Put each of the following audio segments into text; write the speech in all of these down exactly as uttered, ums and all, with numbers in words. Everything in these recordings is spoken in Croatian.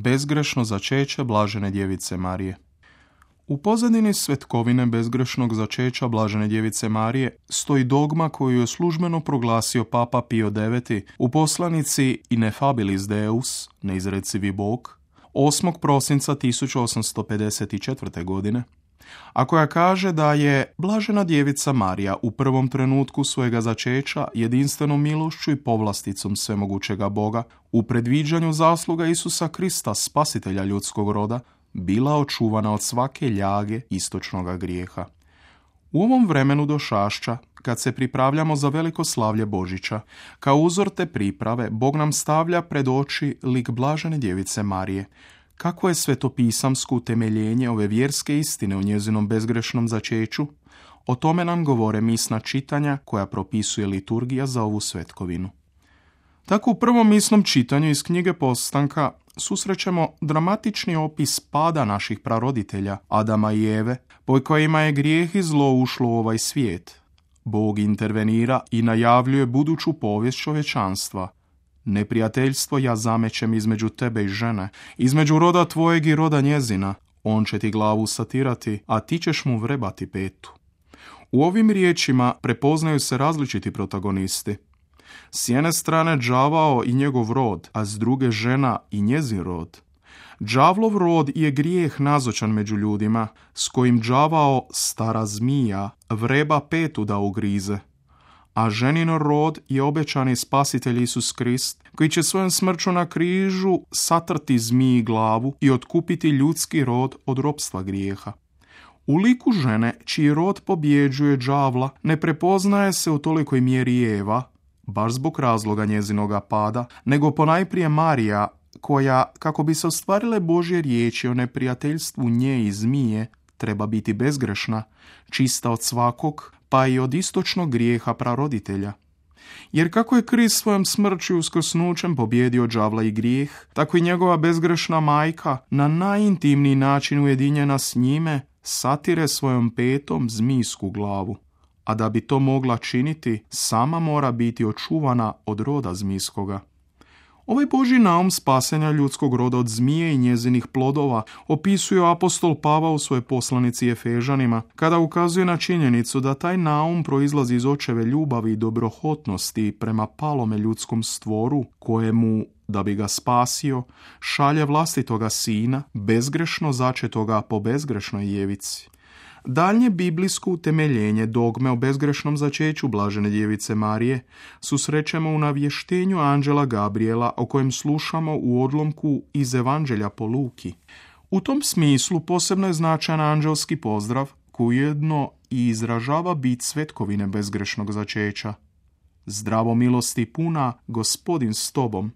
Bezgrešno začeće blažene djevice Marije. U pozadini svetkovine bezgrešnog začeća blažene djevice Marije stoji dogma koju je službeno proglasio Papa Pio deveti u poslanici Ineffabilis Deus, neizrecivi Bog, osmog prosinca tisuću osamsto pedeset četvrte. godine, a koja kaže da je blažena djevica Marija u prvom trenutku svojega začeća jedinstvenom milošću i povlasticom svemogućega Boga u predviđanju zasluga Isusa Krista, spasitelja ljudskog roda, bila očuvana od svake ljage istočnoga grijeha. U ovom vremenu došašća, kad se pripravljamo za veliko slavlje Božića, kao uzor te priprave, Bog nam stavlja pred oči lik blažene djevice Marije. Kako je svetopisamsko utemeljenje ove vjerske istine o njezinom bezgrešnom začeću? O tome nam govore misna čitanja koja propisuje liturgija za ovu svetkovinu. Tako u prvom misnom čitanju iz knjige Postanka susrećemo dramatični opis pada naših praroditelja, Adama i Eve, po kojima je grijeh i zlo ušlo u ovaj svijet. Bog intervenira i najavljuje buduću povijest čovječanstva. Neprijateljstvo ja zamećem između tebe i žene, između roda tvojeg i roda njezina. On će ti glavu satirati, a ti ćeš mu vrebati petu. U ovim riječima prepoznaju se različiti protagonisti. S jedne strane đavao i njegov rod, a s druge žena i njezin rod. Đavlov rod je grijeh nazočan među ljudima, s kojim đavao, stara zmija, vreba petu da ugrize. A ženin rod je obećani spasitelj Isus Krist, koji će svojom smrću na križu satrti zmiji glavu i otkupiti ljudski rod od ropstva grijeha. U liku žene, čiji rod pobjeđuje đavla, ne prepoznaje se u tolikoj mjeri Eva, baš zbog razloga njezinoga pada, nego ponajprije Marija, koja, kako bi se ostvarile Božje riječi o neprijateljstvu nje i zmije, treba biti bezgrešna, čista od svakog, pa i od istočnog grijeha praroditelja. Jer kako je Krist svojom smrću i uskrsnućem pobjedio đavla i grijeh, tako i njegova bezgrešna majka, na najintimniji način ujedinjena s njime, satire svojom petom zmijsku glavu. A da bi to mogla činiti, sama mora biti očuvana od roda zmijskoga. Ovaj Božji naum spasenja ljudskog roda od zmije i njezinih plodova opisuje apostol Pavao u svojoj poslanici Efežanima, kada ukazuje na činjenicu da taj naum proizlazi iz očeve ljubavi i dobrohotnosti prema palome ljudskom stvoru, kojemu, da bi ga spasio, šalje vlastitoga sina, bezgrešno začetoga po bezgrešnoj djevici. Daljnje biblijsko utemeljenje dogme o bezgrešnom začeću blažene djevice Marije susrećemo u navještenju anđela Gabriela, o kojem slušamo u odlomku iz Evanđelja po Luki. U tom smislu posebno je značajan anđelski pozdrav koji ujedno i izražava bit svetkovine bezgrešnog začeća. Zdravo milosti puna, Gospodin s tobom.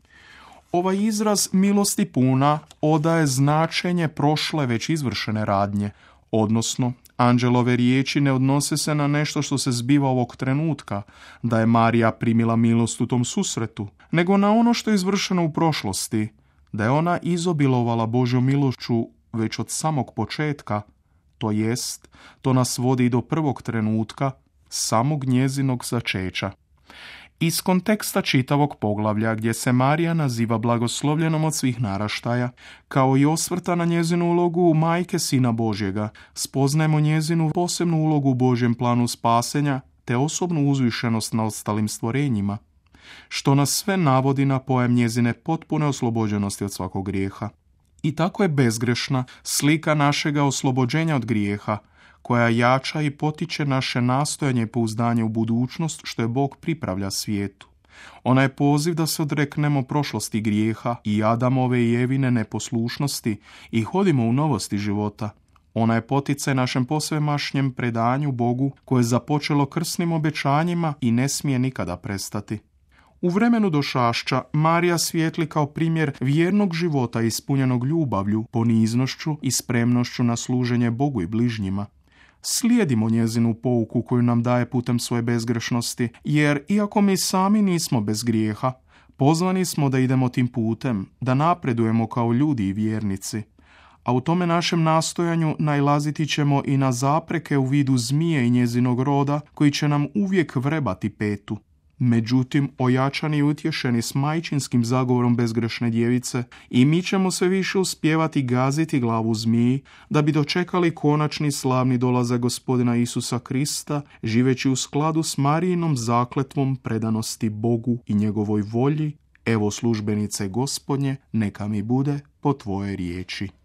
Ovaj izraz milosti puna odaje značenje prošle već izvršene radnje, odnosno anđelove riječi ne odnose se na nešto što se zbiva ovog trenutka, da je Marija primila milost u tom susretu, nego na ono što je izvršeno u prošlosti, da je ona izobilovala Božjom milošću već od samog početka, to jest, to nas vodi do prvog trenutka, samog njezinog začeća. Iz konteksta čitavog poglavlja, gdje se Marija naziva blagoslovljenom od svih naraštaja, kao i osvrta na njezinu ulogu majke Sina Božjega, spoznajemo njezinu posebnu ulogu u Božjem planu spasenja, te osobnu uzvišenost na ostalim stvorenjima, što nas sve navodi na pojam njezine potpune oslobođenosti od svakog grijeha. I tako je bezgrešna slika našega oslobođenja od grijeha, koja jača i potiče naše nastojanje i pouzdanje u budućnost što je Bog pripravlja svijetu. Ona je poziv da se odreknemo prošlosti grijeha i Adamove i Evine neposlušnosti i hodimo u novosti života. Ona je poticaj našem posvemašnjem predanju Bogu koje je započelo krsnim obećanjima i ne smije nikada prestati. U vremenu došašća Marija svijetli kao primjer vjernog života ispunjenog ljubavlju, poniznošću i spremnošću na služenje Bogu i bližnjima. Slijedimo njezinu pouku koju nam daje putem svoje bezgrešnosti, jer iako mi sami nismo bez grijeha, pozvani smo da idemo tim putem, da napredujemo kao ljudi i vjernici. A u tome našem nastojanju nailaziti ćemo i na zapreke u vidu zmije i njezinog roda, koji će nam uvijek vrebati petu. Međutim, ojačani i utješeni s majčinskim zagovorom bezgrešne djevice, i mi ćemo sve više uspijevati gaziti glavu zmiji, da bi dočekali konačni slavni dolazak Gospodina Isusa Krista, živeći u skladu s Marijinom zakletvom predanosti Bogu i njegovoj volji. Evo službenice Gospodnje, neka mi bude po tvojoj riječi.